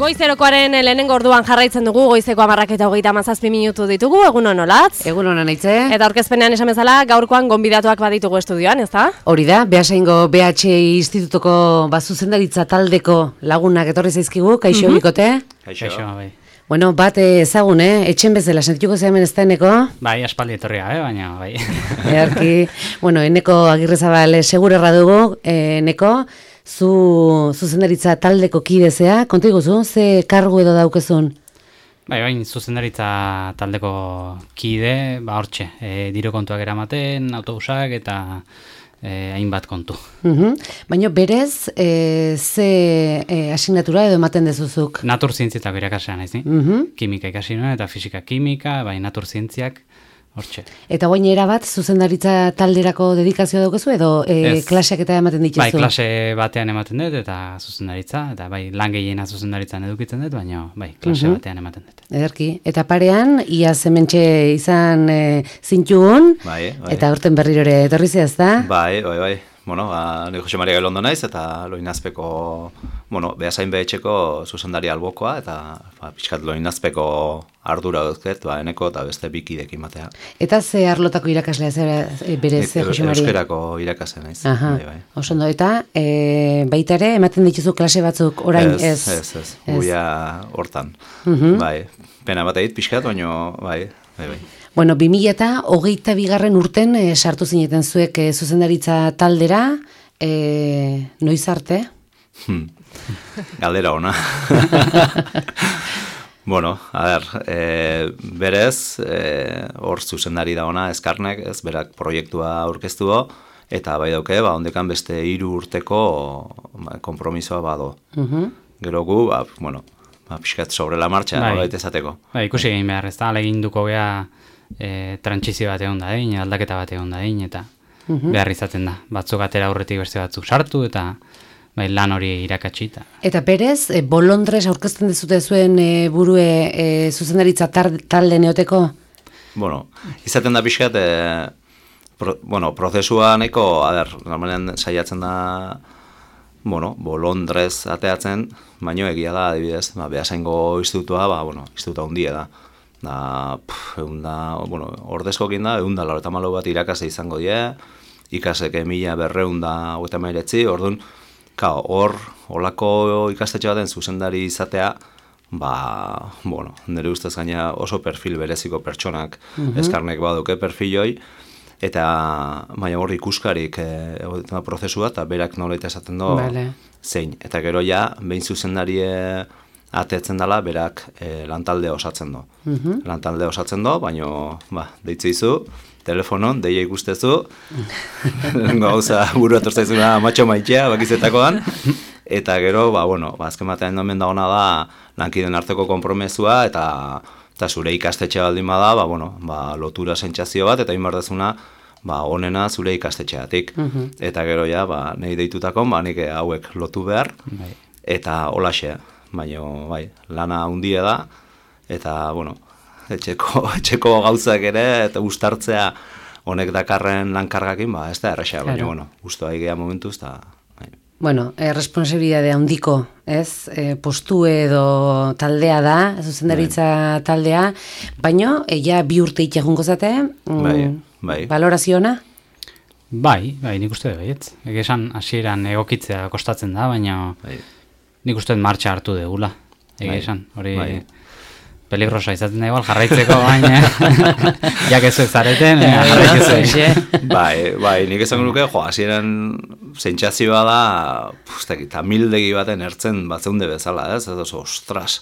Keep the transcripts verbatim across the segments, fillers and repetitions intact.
Goizerokoaren lehenengo orduan jarraitzen dugu, goizeko hamarrak eta hogeita hamazazpi minutu ditugu, egun hon olatz. Egun honan aitze. Eta aurkezpenean esan bezala, gaurkoan gonbidatuak baditugu estudioan, ezta? Hori da, Beasaingo B H Institutuko bazuzendaritza taldeko lagunak etorri zaizkigu, kaixo Mhm. bikote. Kaixo, bai. Bueno, bat ezagun, eh? Etxen bezala, sentituko zehamen ez da eneko? Bai, aspaldi etorria, eh? Baina, bai. Earki, bueno, eneko Agirrezabal segurerra dugu, eh, eneko, zu zuzendaritza taldeko kidezea, konta iguzu, ze kargu edo daukezun? Bai, bain, zuzendaritza taldeko kide, ba hortxe, e, diru kontuak eramaten, autobusak eta e, hainbat kontu. Uhum. Baina berez, e, ze e, asignatura edo ematen dezuzuk? Natur zientzietako irakaslean naiz, ni? Uhum. Kimika ikasi nuen eta fisika kimika, bai, natur zientziak, hortxe. Eta guain erabat, zuzendaritza talderako dedikazioa daukazu edo e, Ez. klaseak eta ematen dituzu? Bai, klase batean ematen dut eta zuzendaritza, eta bai, lan gehiena zuzendaritzan edukitzen dut, baina bai, klase Mhm. batean ematen dut. Ederki. Eta parean, ia hementxe izan e, zintugun, Bai, bai. eta aurten berriro ere etorri zehaz da? Bai, bai, bai. Bueno, ba, ni Jose Maria Gailondo naiz, eta Loinazpeko, bueno, Beasain behetxeko zuzendari albokoa, eta ba, pixkat Loinazpeko ardura duzket, ba, eneko eta beste bikidekin batea. Eta ze arlotako irakaslea zera e, berez, Ni- Jose Maria? Euskerako irakasle naiz. Aha, Bai, bai. oso ondo. Eta e, baita ere, ematen dituzu klase batzuk orain ez? Ez, ez, ez. Guia hortan. Mhm. Bai, pena bat egit pixkat, baina, bai, bai, bai. Bueno, bi mila eta hogeita bigarren urten e, sartu zineten zuek e, zuzendaritza taldera, e, noiz arte? Hmm. Galdera ona. Bueno, a ber, e, berez, e, hor zuzendari da ona, Eskarnek, ez, berak proiektua aurkeztu do, eta bai dauke, ba, ondekan beste hiru urteko ba, konpromisoa bado. Mhm. Gero gu, ba, bueno, ba, pixkat sobre la marcha, Bai. nolait esateko. Bai, ikusi egin behar, ez da, alegin duko gea e, trantsizio bat egon da egin, aldaketa bat egon da egin, eta behar izaten da. Batzuk atera aurretik beste batzuk sartu, eta bai, lan hori irakatsi. Eta Eta berez, e, bolondrez aurkezten dezute zuen e, burue e, zuzendaritza tar, talde neoteko? Bueno, izaten da pixkat, e, pro, bueno, prozesua nahiko, a ber, normalean saiatzen da, bueno, bolondrez ateatzen, baino egia da, adibidez, ba, Beasaingo institutua, ba, bueno, institutua hundia da. Da, pff, egun da, bueno, ordezkokin da, egun da, laurogeita hamalau bat irakasle izango die, ikaseke mila berreun da hogeita hemezortzi, orduan, kao, hor, holako ikastetxe baten zuzendari izatea, ba, bueno, nire ustez gaina oso perfil bereziko pertsonak, Eskarnek baduke perfiloi, eta baina hor ikuskarik e, prozesua, eta berak nolaita esaten do, Vale. zein. Eta gero ja, behin zuzendarie atetzen dela, berak e, lantalde osatzen do. Lantalde osatzen do, baina, ba, deitzu izu, telefonon, deia ikustezu, gauza buru atortzaizuna matxo maitea, bakizetakoan, eta gero, ba, bueno, ba, azken batean domen da ona da, lankiden arteko konpromesua, eta eta zure ikastetxe baldin bada, ba, bueno, ba, lotura sentsazio bat, eta inbardezuna, ba, onena zure ikastetxeatik. Eta gero ja, ba, nahi deitutakon, ba, nik hauek lotu behar, bai. eta holaxe, baina, bai, lana hundia da, eta, bueno, etxeko, etxeko gauzak ere, eta uztartzea honek dakarren lankargakin, ba, ez da erresa, baina, Claro. bueno, ustoa egia momentuz, eta, bai. Bueno, e, responsabilidade handiko, ez? E, postu edo taldea da, zuzendaritza taldea, baino, e, ja bi urte itxegungo zate, mm, Bai, bai. valoraziona? Bai, bai, nik uste dut baietz. Egia esan hasieran egokitzea kostatzen da, baina Bai. nik uste dut martxa hartu degula. Egia Bai, esan, hori bai. peligrosa izaten da igual jarraitzeko, baina jak ez zareten, eh, jarraitzeko. Bai, bai, nik esan nuke, jo, hasieran sentsazioa da, pustek, eta mildegi baten ertzen batzeunde bezala, ez, ez oso, ostras,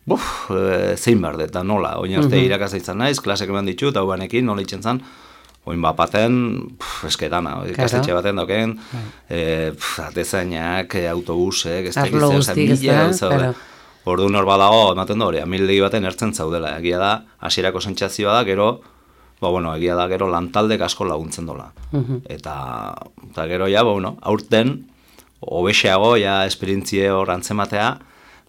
buf, e, zein behar dut, da nola, oin arte irakasle izan naiz, klasek eman ditut, hau banekin, nola itzen zan, oin bat baten, pff, esketana, ikastetxe baten doken, e, pff, atezainak, e, autobusek, ez Arlo tegiz, guztik, ez da, claro. Orduan hor badago, ematen da hori, amildegi baten ertzen zaudela, egia da, hasierako sentsazioa da, gero, ba, bueno, egia da, gero lantaldek asko laguntzen dola. Eta, eta gero ja, ba, bueno, aurten, hobexeago, ja, esperientzie hor antzematea,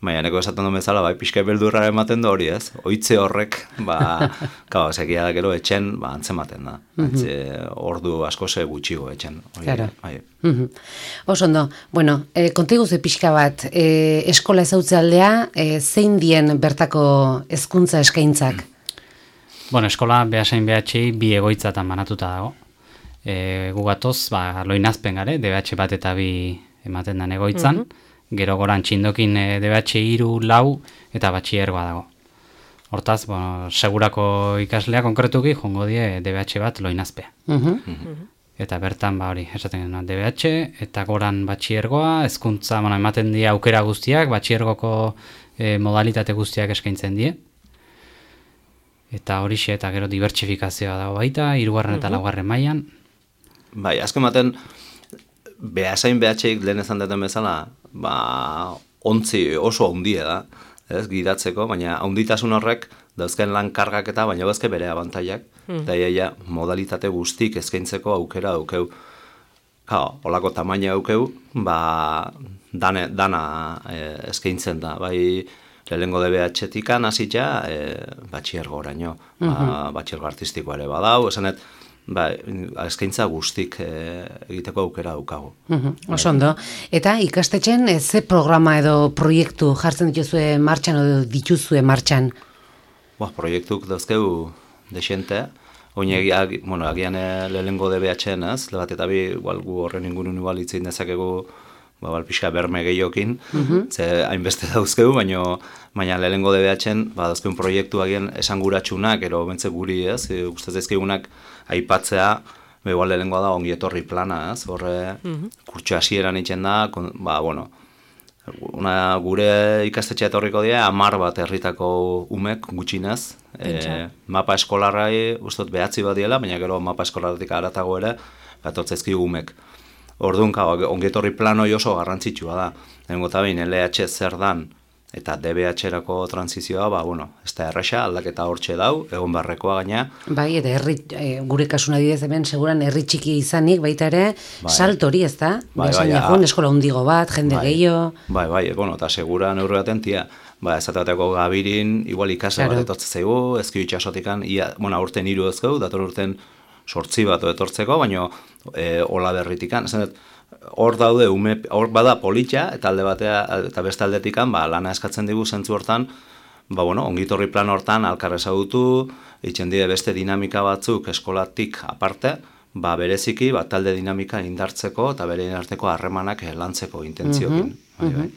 baina neko esaten duen bezala, bai, pixka beldurra ematen du hori ez, oitze horrek, ba, kau, segia da gero etxen, ba, antzematen da, antze, ordu asko ze gutxigo etxen. Hori, Claro. Bai. Oso ondo, bueno, e, kontigu ze pixka bat, e, eskola ezautze aldea, e, zein dien bertako hezkuntza eskaintzak? Bueno, eskola behasain behatxei bi egoitzatan banatuta dago. E, gugatoz, ba, loinazpen gare, D B H bat eta bi ematen den egoitzan, gero goran txindokin e, D B H hiru, lau eta batxiergoa dago. Hortaz, bueno, segurako ikaslea konkretuki jongo die D B H bat loinazpea. Eta bertan, ba hori, esaten genuen D B H, eta goran batxiergoa, hezkuntza, bueno, ematen die aukera guztiak, batxiergoko e, modalitate guztiak eskaintzen die. Eta horixe, eta gero dibertsifikazioa dago baita, hirugarren eta laugarren mailan. Bai, azken baten, behasain behatxeik lehen ezan deten bezala, ba, ontzi oso handia da, ez, gidatzeko, baina handitasun horrek dauzken lan kargak eta baina bezke bere abantaiak, eta iaia modalitate guztik eskaintzeko aukera aukeu. Kao, olako tamaina aukeu, ba, dane, dana e, eskaintzen da, bai, lehengo D B H-tikan hasitza e, batxiergo oraino, ba, batxiergo artistikoa ere badau, esanet, ba, eskaintza guztik e, egiteko aukera daukagu. Oso ondo. Eta ikastetxen e, ze programa edo proiektu jartzen dituzue martxan edo dituzue martxan? Ba, proiektuk dauzkeu desente, oin egia, bueno, agian e, lehengo D B H-en, ez, lebat eta bi, igual gu horren ingurun igual itzein dezakegu, ba, bal, pixka berme gehiokin, ze hainbeste dauzkeu, baina baina lehengo D B H-en, ba, dauzkeun proiektu agian esanguratsunak, ero bentze guri, ez, e, gustaz ezkegunak aipatzea, ba, igual lehengoa da ongi etorri plana, ez, horre, kurtso hasieran itzen da, kon, ba, bueno, una, gure ikastetxea etorriko dira, amar bat herritako umek gutxinez, e, mapa eskolarrai, ustot behatzi bat diela, baina gero mapa eskolarratik aratago ere, bat otzezki umek. Orduan, ongetorri planoi oso garrantzitsua da. Lehenengo eta behin L H zer dan eta D B H-erako transizioa, ba, bueno, ez da erresa, aldaketa hortxe dau, egon barrekoa gaina. Bai, eta herri, e, gure kasuna didez hemen, seguran herri txiki izanik, baita ere, Bai. salto hori, ez da? Bai, Beasain bai, egun, a- eskola hundigo bat, jende Bai. gehiago. Bai, bai, bueno, eta segura neurri baten tia, ba, ezatateko gabirin, igual ikase Claro. bat etortze zaigu, ezki itxasotikan, ia, bueno, aurten hiru ezkeu, dator urten sortzi bat etortzeko, baina e, ola berritikan, esan dut, hor daude, ume, hor bada politxa, eta alde batea, eta beste aldetikan, ba, lana eskatzen digu zentzu hortan, ba, bueno, ongitorri plan hortan alkar ezagutu, itxen die beste dinamika batzuk eskolatik aparte, ba, bereziki, ba, talde dinamika indartzeko, eta bere arteko harremanak eh, lantzeko intentziokin. Bai, bai.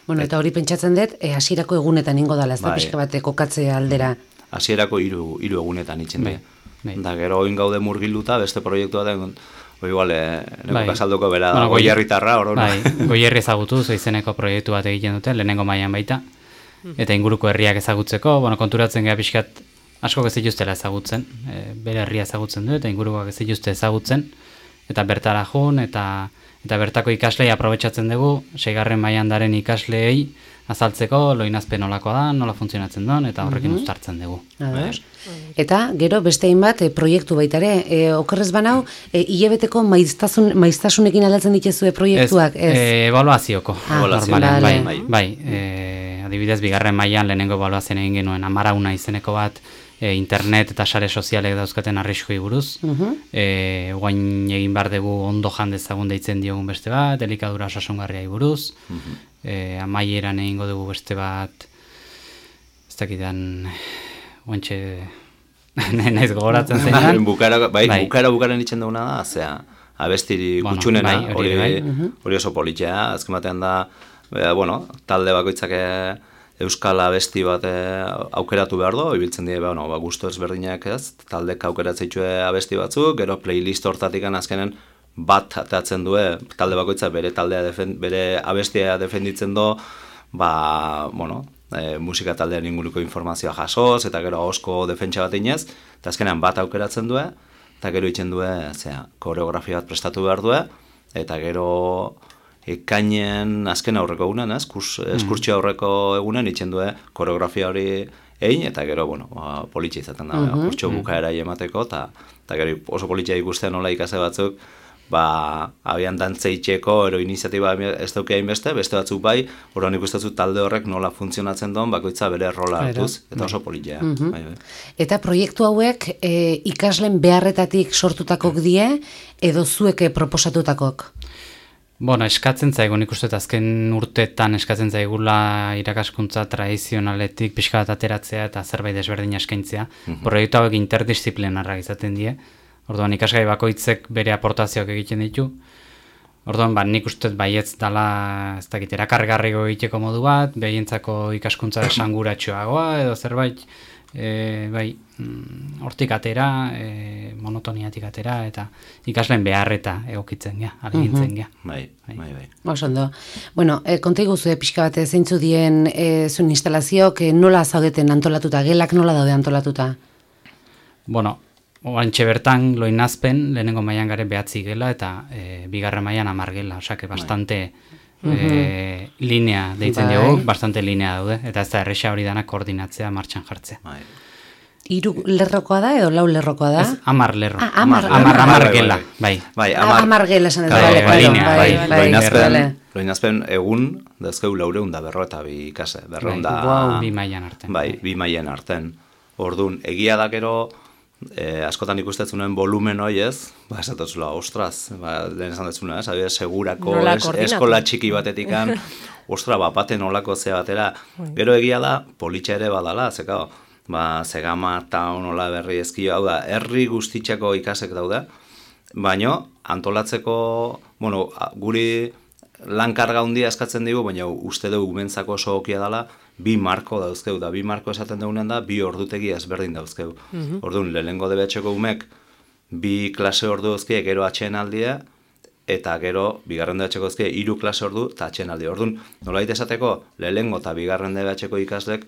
Bueno, eta hori pentsatzen dut, e, hasierako egunetan ingo dala, ez da Bai. pixka bat kokatzea aldera. Hasierako hiru hiru egunetan itzen Bai, dira. bai. Da gero oin gaude murgilduta beste proiektua da, oi igual, eh, neko Bai. kasaldoko bera da, Bueno, goi goi- herritarra, hor Bai, goierri ezagutuz, izeneko proiektu bat egiten dute, lehenengo mailan baita, eta inguruko herriak ezagutzeko, bueno, konturatzen gara pixkat, asko ez dituztela ezagutzen, e, bere herria ezagutzen du, eta ingurukoak ez dituzte ezagutzen, eta bertara jun, eta, eta bertako ikaslei aprobetxatzen dugu, seigarren mailan daren ikasleei, azaltzeko loinazpen nolakoa da, nola funtzionatzen duen, eta horrekin uztartzen dugu. Ados. Eta gero beste hainbat e, proiektu baita ere, e, okerrez banau, e, hilabeteko maiztasun, maiztasunekin aldatzen dituzue proiektuak, ez? E, evaluazioko, Ah, normalean, vale. bai, bai, e, adibidez, bigarren mailan lehenengo evaluazioan egin genuen amarauna izeneko bat, e, internet eta sare sozialek dauzkaten arriskoi buruz, e, guain egin behar dugu ondo jan dezagun deitzen diogun beste bat, elikadura osasungarriai buruz, e, amaieran egingo dugu beste bat, ez dakidan, guantxe, naiz gogoratzen zein Bai, dan. bukara, bai, Bai. bukara bukaren itzen duguna da, zea, abestiri Bueno, gutxunena, bai, hori hori, bai. hori oso politzea, azken batean da, e, bueno, talde bakoitzak e, euskal abesti bat e, aukeratu behar du, ibiltzen die, bueno, ba, gusto ezberdinak ez, taldek aukeratzeitzue abesti batzuk, gero playlist hortatik azkenen bat atatzen du, talde bakoitza bere taldea defen, bere abestia defenditzen du, ba, bueno, e, musika taldean inguruko informazioa jasoz, eta gero ahosko defentsa bat inez, eta azkenean bat aukeratzen du, eta gero itzen du, zera, koreografia bat prestatu behar du, eta gero ekainen azken aurreko egunen, ez, kurs, eskurtxo aurreko egunen itzen du, koreografia hori egin, eta gero, bueno, ba, politxe izaten da, uh -huh, kurtxo bukaera emateko, eta, eta gero oso politxea ikusten nola ikase batzuk, ba, abian dantzeitxeko ero iniziatiba ez dauke hainbeste, beste batzuk bai, horren ikustezu talde horrek nola funtzionatzen duen, bakoitza bere rola hartuz, eta oso politia. Mhm. Bai, bai. Eta proiektu hauek e, ikasleen beharretatik sortutakok die, edo zueke proposatutakok? Bueno, eskatzen zaigu, nik uste azken urteetan eskatzen zaigula irakaskuntza tradizionaletik pixka bat ateratzea eta zerbait desberdin eskaintzea. Mhm. Proiektu hauek interdisciplinarrak izaten die. Orduan ikasgai bakoitzek bere aportazioak egiten ditu. Orduan, ba, nik uste baietz dala, ez dakit, erakargarriko egiteko modu bat, behientzako ikaskuntza esanguratsuagoa edo zerbait, e, bai, mm, hortik atera, e, monotoniatik atera, eta ikasleen beharreta egokitzen gea, alegintzen gea. Bai, bai, bai. Oso ondo. Bueno, e, konta iguzu, pixka bat zeintzu dien e, zuen instalazioak e, nola zaudeten antolatuta, gelak nola daude antolatuta? Bueno, oantxe bertan loinazpen, lehenengo mailan gare behatzi gela, eta e, bigarren mailan hamar gela, osake, bastante e, linea deitzen Bai. dugu, bastante linea daude, eta ez da erresa hori dana koordinatzea, martxan jartzea. Bai. Hiru lerrokoa da edo lau lerrokoa da? Ez, hamar lerro. Ah, hamar. Hamar, hamar Bai, bai, gela, bai. bai. Bai, Ah, hamar- hamar gela esan ez, Bai, bale, bai, claro, linea, bai, bai, bai, Loinazpen, bale. loinazpen egun, dazkeu laureun da berro eta bi ikase, berreun da... Bai, bi mailan artean. Bai, bi mailen arten. Orduan, egia da gero, eh, askotan ikustetzunuen volumen hoi ez, ba, esatuzula, ostras, ba, lehen esan detzuna, ez, adibidez, segurako Nola es, koordinatu. eskola txiki batetikan, ostra, ba, baten olako zea batera, gero egia da, politxa ere badala, zeka, ba, Zegama, Taun, Ola Berri, Ezkio, hau da, herri guztitzeko ikasek daude, baino, antolatzeko, bueno, a- guri lankarga handia eskatzen digu, baina uste dugu umentzako oso okia dela, bi marko dauzkeu, da bi marko esaten dugunen da, bi ordutegi ezberdin dauzkeu. Orduan, lehenengo debetxeko umek, bi klase ordu dauzkie, gero atxeenaldia, eta gero, bigarren debetxeko dauzkie, hiru klase ordu, eta atxeenaldia. Orduan, nolabait esateko, lehenengo eta bigarren debetxeko ikaslek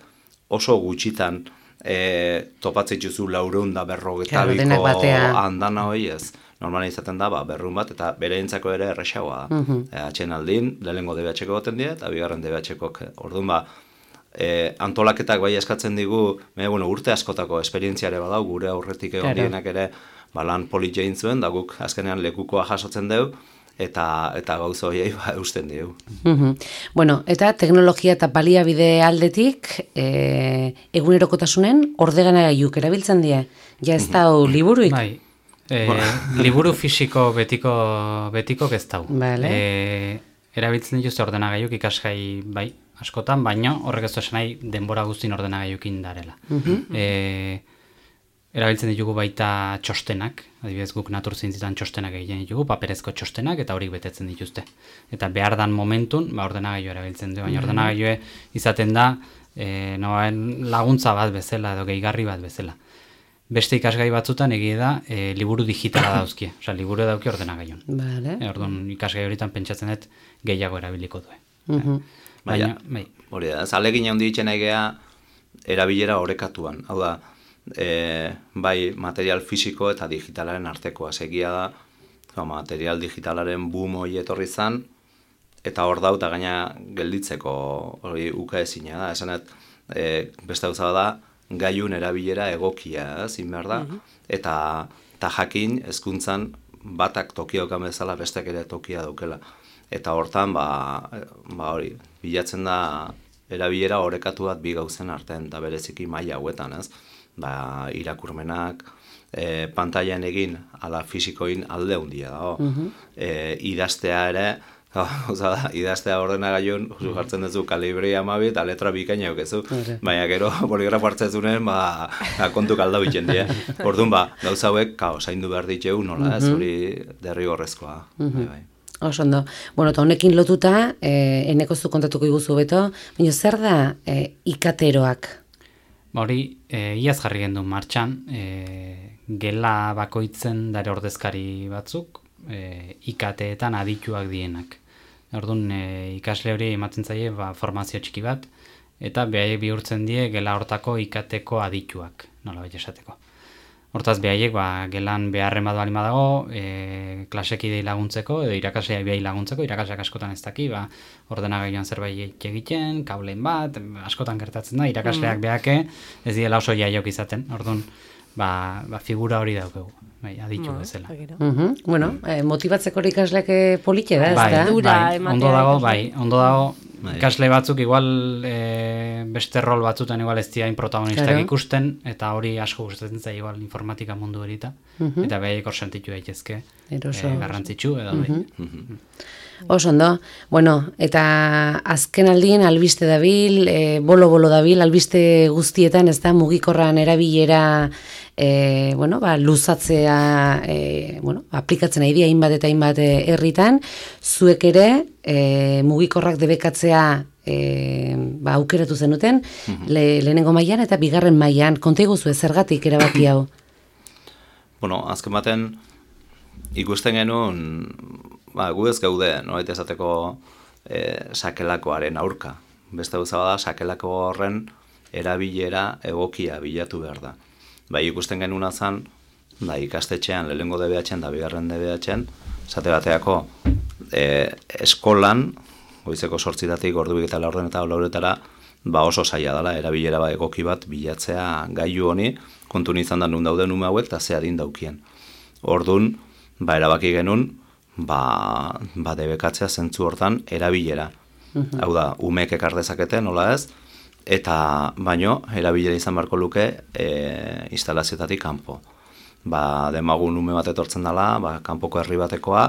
oso gutxitan e, topatzen dituzu laureun da Claro, berrogetabiko denak batean. andana hoi ez. Normala izaten da, ba, berrun bat, eta bereintzako ere erresagoa da. E, atxeenaldin, lehenengo debetxeko goten dira, eta bigarren debetxekok. Orduan, ba, e, antolaketak bai eskatzen digu, me, bueno, urte askotako esperientziare badau, gure aurretik egon Claro. dienak ere, ba, lan polit jain zuen, da guk azkenean lekukoa jasotzen dugu, eta eta gauza horiei ba, eusten digu. Mhm. Bueno, eta teknologia eta baliabide aldetik, e, egunerokotasunen ordeganagailuk erabiltzen die. Ja ez da liburuik. Bai. E, liburu fisiko betiko betiko ez dau. Vale. E, erabiltzen dituzte ordenagailuk ikasgai bai, askotan, baina horrek ez du esan nahi denbora guztin ordenagailukin darela. E, erabiltzen ditugu baita txostenak, adibidez guk naturzientzitan txostenak egiten ditugu, paperezko txostenak eta horik betetzen dituzte. Eta behar dan momentun, ba, ordenagailu erabiltzen du, baina ordenagailue izaten da e, noen laguntza bat bezala edo gehigarri bat bezala. Beste ikasgai batzutan egia da e, liburu digitala dauzkie, osea liburu dauki ordenagailun. Vale. E, orduan ikasgai horietan pentsatzen dut gehiago erabiliko du. Mhm. Baina, bai. Hori da, ez alegin handi ditzen egea erabilera orekatuan. Hau da, e, bai material fisiko eta digitalaren artekoa. Segia da, ba, material digitalaren boom hori etorri zan, eta hor dau, eta gaina gelditzeko hori uka ezina da. Esanet, e, beste gauza da, gaiun erabilera egokia, zin behar da, eta, eta jakin hezkuntzan batak tokia okan bezala besteak ere tokia daukela. Eta hortan, ba, ba hori, bilatzen da erabilera orekatu bat bi gauzen artean, eta bereziki maila hauetan, ez? Ba, irakurmenak, e, pantailan egin, ala fisikoin alde handia dago. E, idaztea ere, Oza da, idaztea ordenagailun, zu jartzen duzu kalibri amabi eta letra bikaina eukezu. Baina gero boligrafo hartzezunen, ba, ba, kontu kalda bitzen die. Orduan, ba, gauza hauek, kao, zaindu behar ditegu, nola, ez hori derrigorrezkoa. Bai, bai. Oso ondo. Bueno, eta honekin lotuta, eh, eneko zu kontatuko iguzu beto, baina zer da eh, ikateroak? Ba hori, e, iaz jarri gendu martxan, e, gela bakoitzen dare ordezkari batzuk, e, ikateetan adituak dienak. Orduan, e, ikasle hori ematen zaie ba, formazio txiki bat, eta behaiek bihurtzen die gela hortako ikateko adituak, nola baita esateko. Hortaz, behaiek ba, gelan beharren bat balima dago, e, klasekidei laguntzeko, edo irakasleak behai laguntzeko, irakasleak askotan ez daki, ba, ordenagailuan zerbait egiten, kableen bat, askotan gertatzen da, irakasleak behake ez diela oso jaiok izaten. Orduan, ba, ba figura hori daukegu, bai, aditu bezala. Uh-huh. Bueno, eh, motibatzeko ikasleak polite da, ez bai, da? Bai, ondo dago, bai, ondo dago, ikasle batzuk igual e, beste rol batzutan igual ez diain protagonistak claro. ikusten, eta hori asko gustatzen zaio igual informatika mundu erita, uh-huh. eta behaiek hor sentitu daitezke e, garrantzitsu edo uh-huh. bai. Uh-huh. Oso ondo, bueno, eta azken aldien albiste dabil, e, bolo-bolo dabil, albiste guztietan, ez da, mugikorran erabilera, e, bueno, ba, luzatzea, e, bueno, aplikatzen nahi di, hainbat eta hainbat herritan, zuek ere, e, mugikorrak debekatzea, e, ba, aukeratu zenuten, uh-huh. le, lehenengo mailan eta bigarren mailan, konta iguzu zergatik erabaki hau? Bueno, azken baten, ikusten genuen, ba, gu ez gaude, no, eta esateko e, sakelakoaren aurka. Beste gauza bada, sakelako horren erabilera egokia bilatu behar da. Bai, ikusten genuna zen, ba, ikastetxean, lehengo D B H-en da bigarren D B H-en, esate bateako e, eskolan, goizeko sortzitatik ordubik eta laurden eta lauretara, ba oso zaila dela, erabilera ba, egoki bat bilatzea gailu honi, kontun izan da nun dauden ume hauek, eta ze adin daukien. Ordun, ba, erabaki genuen, ba, ba debekatzea zentzu hortan erabilera. Uh-huh. Hau da, umeek ekar dezakete, nola ez, eta baino, erabilera izan beharko luke e, instalazioetatik kanpo. Ba, demagun ume bat etortzen dela, ba, kanpoko herri batekoa,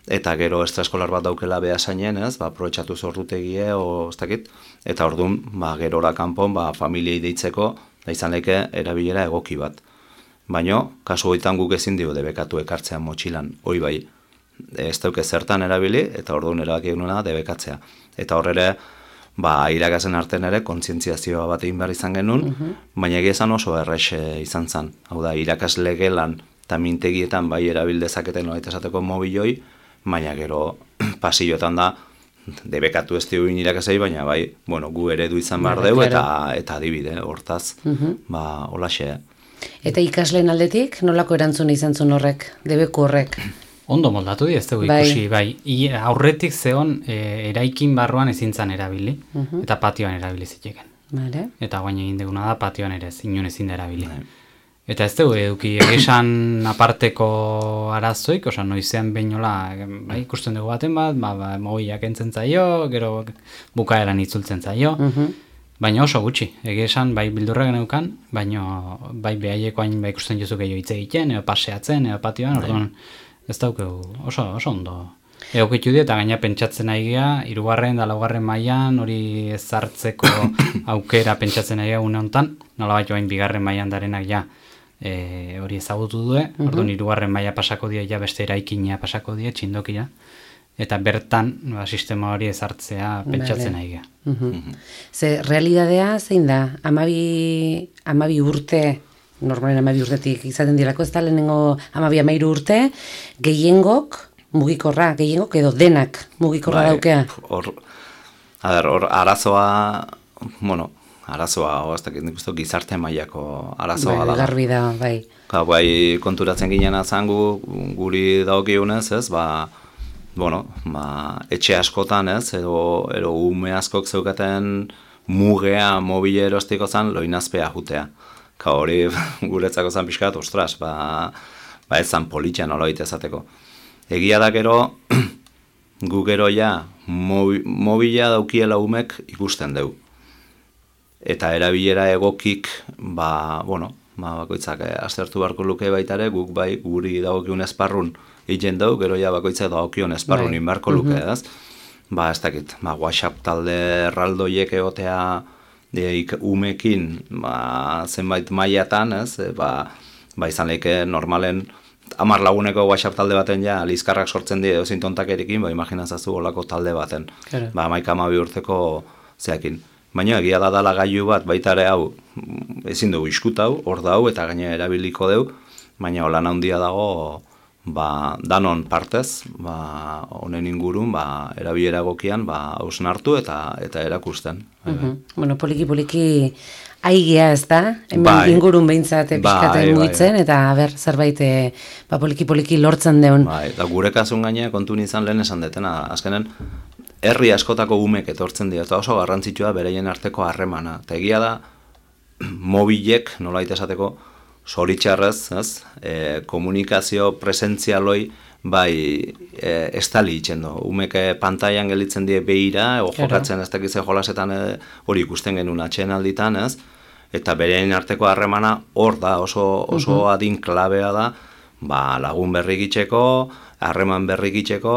eta gero estraeskolar bat daukela behasainen, ez, ba, aprobetxatu zordutegie, o, ez dakit, eta orduan, ba, gerora kanpon, ba, familiei deitzeko, da izan leke erabilera egoki bat. Baino, kasu goitan guk ezin dio debekatu ekartzean motxilan, hoi bai, ez dauke zertan erabili, eta orduan erabaki egunena debekatzea. Eta horrere, ba, irakasen artean ere, kontzientziazioa bat egin behar izan genuen, uh-huh. baina egia esan oso errexe izan zen. Hau da, irakasle gelan eta mintegietan bai erabildezaketen nolaita esateko mobiloi, baina gero pasilloetan da, debekatu ez dioin irakasei, baina bai, bueno, gu eredu izan behar dugu, eta, eta adibide, hortaz, uh-huh. ba, holaxe. Eta ikasleen aldetik, nolako erantzun izan zuen horrek, debeku horrek? Ondo moldatu di ez dugu ikusi, bai. I, aurretik zeon e, eraikin barruan ezintzan erabili, uh-huh. eta patioan erabili ziteken. Vale. Eta guain egin duguna da patioan ere, zinun ezin da erabili. Vale. Eta ez dugu eduki esan aparteko arazoik, oza, noizean behinola, bai, ikusten dugu baten bat, ba, ba, mobiak entzen zaio, gero bukaeran itzultzen zaio, uh-huh. baina oso gutxi, egia esan, bai bildurra geneukan, baina bai behaiekoain bai ikusten jozu gehiago hitz egiten, edo paseatzen, edo patioan, orduan, ez daukegu, oso, oso ondo. Egokitu di, eta gaina pentsatzen nahi gea, hirugarren da laugarren mailan hori ezartzeko aukera pentsatzen nahi gea une honetan, nola bat joain bigarren mailan darenak ja e, hori ezagutu due, uh-huh. orduan hirugarren maila pasako die, ja beste eraikina pasako die, txindokia, eta bertan ba, sistema hori ezartzea pentsatzen nahi gea. Uh-huh. Uh-huh. Ze, realidadea zein da, amabi, amabi urte, normalen amabi urtetik izaten dirako, ez da lehenengo amabi amairu urte, gehiengok mugikorra, gehiengok edo denak mugikorra bai, daukea. Hor, a ber, hor arazoa, bueno, arazoa, oaztak nik uste gizarte mailako arazoa bai, da. Garbi da, bai. Ka, bai, konturatzen ginen azangu, guri daukionez, ez, ba, bueno, ba, etxe askotan, ez, edo, edo ume askok zeukaten mugea mobile erostiko zan, loinazpea jutea. Ka hori guretzako zan pixkat, ostras, ba, ba ez zan politxan oloit ezateko. Egia da gero, gu gero ja, mobi, mobila daukiela umek ikusten dugu. Eta erabilera egokik, ba, bueno, ba, bakoitzak eh, aztertu beharko luke baitare, guk bai guri dagokiun esparrun egin dugu, gero ja bakoitzak dagokion esparrun inbarko luke, ez? Ba, ez dakit, ba, WhatsApp talde erraldoiek egotea, deik umekin ba, zenbait mailatan, ez, e, ba, ba izan lehike normalen hamar laguneko WhatsApp talde baten ja lizkarrak sortzen die edo tontakerikin, ba imaginazazu olako talde baten. Claro. Ba hamaika hamabi urteko zeakin. Baina egia da dala gailu bat baita ere hau ezin dugu iskutau, hor dau eta gaina erabiliko deu, baina holan handia dago ba danon partez, ba honen ingurun ba erabilera egokian ba hausnartu eta eta erakusten. Uh-huh. Bueno, poliki poliki aigea, ez da? Hemen bai. Ingurun behintzat pixkaten bai, mugitzen, bai. Eta ber, zerbait ba, poliki poliki lortzen deun. Bai, da gure kasun gaina kontu izan lehen esan detena, azkenen herri askotako umek etortzen dira, eta oso garrantzitsua beraien arteko harremana. Eta egia da, mobilek, nolait esateko, zoritxarrez, ez, e, komunikazio presentzialoi bai e, estali itzen du. Umeke pantailan gelitzen die behira, o jokatzen ez dakize jolasetan e, hori ikusten genuen atxeen alditan, ez, eta berein arteko harremana hor da, oso, oso uh-huh. adin klabea da, ba, lagun berrikitzeko, harreman berrikitzeko,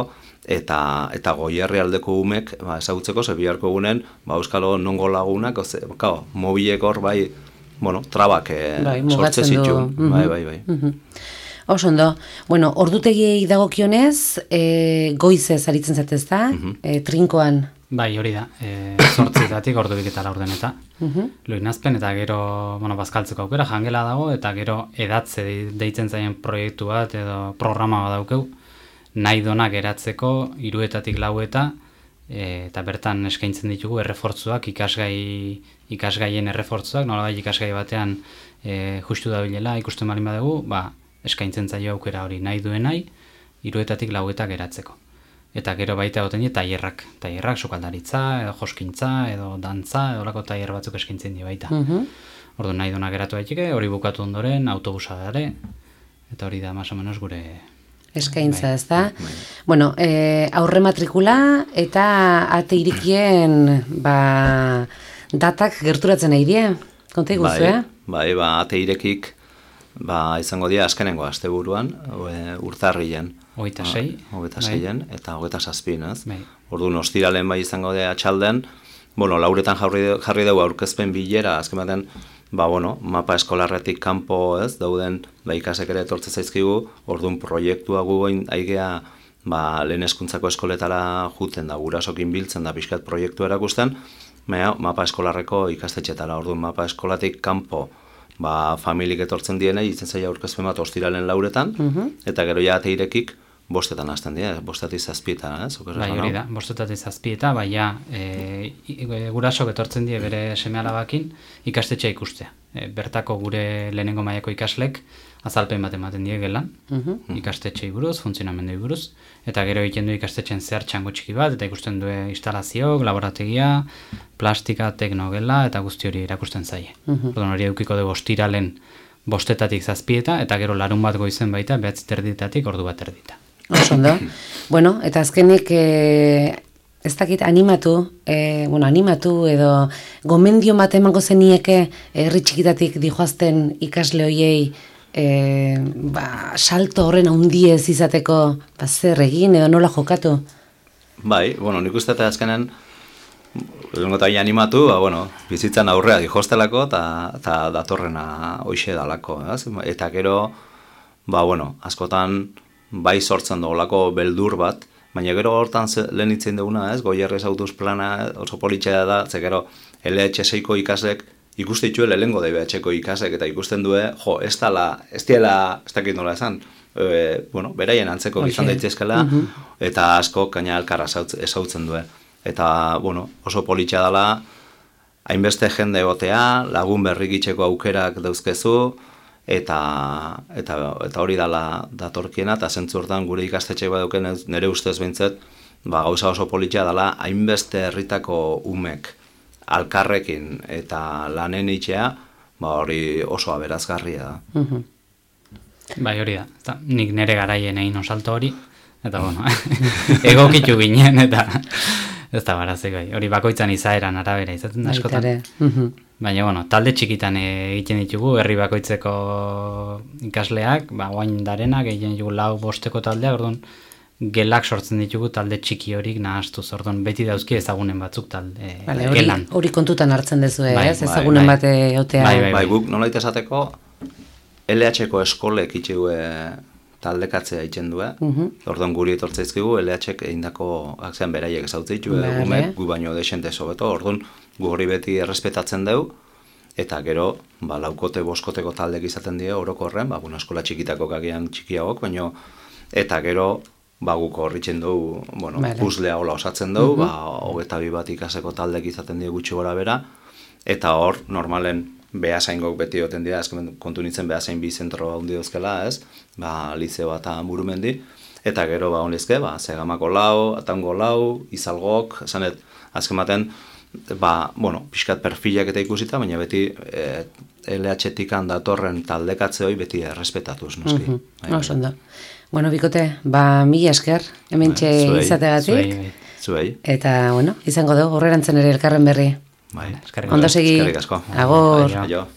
eta eta goierri aldeko umek ba, ezagutzeko, ze biharko gunen, ba, euskalo nongo lagunak, oze, kao, mobilek hor bai, bueno, trabak e, bai, sortze zitu. Uh-huh. Bai, bai, bai. Uh-huh. Oso ondo, bueno, ordutegiei dagokionez, e, goizez aritzen zatez da, uh-huh. e, trinkoan. Bai, hori da, e, zortzitatik ordubik eta laurden eta uh-huh. loinazpen, eta gero, bueno, bazkaltzeko aukera, jangela dago, eta gero edatze deitzen zaien proiektu bat, edo programa bat daukeu, nahi donak eratzeko, hiruetatik laueta, e, eta bertan eskaintzen ditugu errefortzuak, ikasgai, ikasgaien errefortzuak, nolabait ikasgai batean e, justu dabilela, ikusten balin badugu, ba, eskaintzen zaio aukera hori nahi duen nahi, hiruetatik lauetak eratzeko. Eta gero baita goten die tailerrak, tailerrak, sukaldaritza, edo joskintza, edo dantza, edo lako tailer batzuk eskaintzen die baita. Uh-huh. Ordu nahi duenak eratu daiteke, hori bukatu ondoren, autobusa dare, eta hori da, más o menos, gure eskaintza, ez da? Bueno, e, aurre matrikula eta ate irikien ba, datak gerturatzen nahi die, konta iguzu, bai, eh? Bai, ba, ate irekik ba, izango dira azkenengo asteburuan, urtarrilen. Hogeita sei. Hogeita seien, eta hogeita zazpin, ez? Bai. Orduan, ostiralen bai izango dira atxalden, bueno, lauretan jarri, jarri dugu aurkezpen bilera, azken baten, ba, bueno, mapa eskolarretik kanpo, ez, dauden, ba, ikasek ere etortze zaizkigu, orduan proiektua gugoin aigea, ba, lehen hezkuntzako eskoletara juten da, gurasokin biltzen da, pixkat proiektu erakusten, baina, mapa eskolarreko ikastetxetara, orduan, mapa eskolatik kanpo, ba, familik etortzen dienei, itzen zaila aurkezpen bat ostiralen lauretan, uh-huh. eta gero ja ate irekik, bostetan hasten dira, bostetik zazpietan, ez? Bai, hori da, bostetik zazpieta, bai, ja, e, gurasok etortzen die bere seme-alabakin ikastetxea ikustea. E, bertako gure lehenengo mailako ikaslek azalpen bat ematen die gelan, uh-huh. ikastetxei buruz, funtzionamendoi buruz, eta gero egiten du ikastetxen zehar txango txiki bat, eta ikusten du instalazioak, laborategia, plastika, teknogela, eta guzti hori erakusten zaie. Uh-huh. Orduan hori edukiko dugu ostiralen bostetatik zazpieta, eta gero larun bat goizen baita, behatzi terditatik ordu bat erdita. Oso ondo. Bueno, eta azkenik e, ez dakit animatu, e, bueno, animatu edo gomendio bat emango zenieke herri txikitatik dijoazten ikasle hoiei e, ba, salto horren handiez izateko ba, zer egin edo nola jokatu? Bai, bueno, nik uste eta azkenen lehenko eta animatu, ba, bueno, bizitzan aurrea dijostelako eta datorrena hoixe dalako, ez? Eta gero, ba, bueno, askotan bai sortzen dolako beldur bat, baina gero hortan lehen itzen duguna, ez, Goierrez autobus plana oso politxea da, ze gero L H seiko ikaslek ikuste ditue lehengo D B H-ko ikaslek, eta ikusten due, jo, ez dala, ez diela, ez dakit nola esan, e, bueno, beraien antzeko okay. izan daitezkela, uh-huh. eta asko kaina elkarra ezautzen due. Eta, bueno, oso politxea dela, hainbeste jende egotea, lagun berrikitzeko aukerak dauzkezu, Eta, eta, eta hori dala datorkiena, eta zentzu hortan gure ikastetxe baduken nire ustez behintzet, ba, gauza oso politxea dela, hainbeste herritako umek alkarrekin eta lanen itxea, ba, hori oso aberazgarria da. Uh-huh. Bai, hori da. Eta, nik nire garaien egin osalto hori, eta bueno, egokitu ginen, eta ez da barazik bai. Hori bakoitzan izaeran arabera izaten da askotan. Uh-huh. Baina, bueno, talde txikitan egiten ditugu, herri bakoitzeko ikasleak, ba, oain darenak, egiten ditugu lau bosteko taldeak, orduan, gelak sortzen ditugu talde txiki horik nahastuz, orduan, beti dauzki ezagunen batzuk talde vale, gelan. Hori kontutan hartzen dezu, bai, ez? Ezagunen bai, bat eotea. Bai, bai, bai, guk nolait esateko, L H-ko eskolek itxegue taldekatzea itzen du, uh-huh. orduan guri etortzaizkigu, L H-ek eindako akzean beraiek ezautze ditu, vale. Gu baino desente sobeto, orduan, gu hori beti errespetatzen dugu, eta gero, ba, laukote, boskoteko taldek izaten die orokorren, ba, bueno, eskola txikitako kagian txikiagok, baino, eta gero, ba, guko horritzen dugu, bueno, vale. Puzzlea hola osatzen dugu, uh-huh. ba, hogeta bi bat ikaseko taldek izaten die gutxi gora bera, eta hor, normalen, behasaingok beti oten dira, azken kontu nintzen behasain bi zentro handi dozkela, ez, ba, liceo eta Murumendi, eta gero, ba, honezke, ba, Segamako lau, Atango lau, Izalgok, esanet, azken baten, ba, bueno, pixkat perfilak eta ikusita, baina beti e, L H-tikan datorren taldekatze hori beti errespetatuz, noski. Mhm. Bai, bai. Oso ondo. Bueno, bikote, ba, mila esker, hementxe Zuei. izategatik. Zuei, Zuei. Eta, bueno, izango dugu, horrerantzen ere elkarren berri. Bai, eskerrik Ondo asko. segi. Eskerrik asko. Agur. Aio. Aio.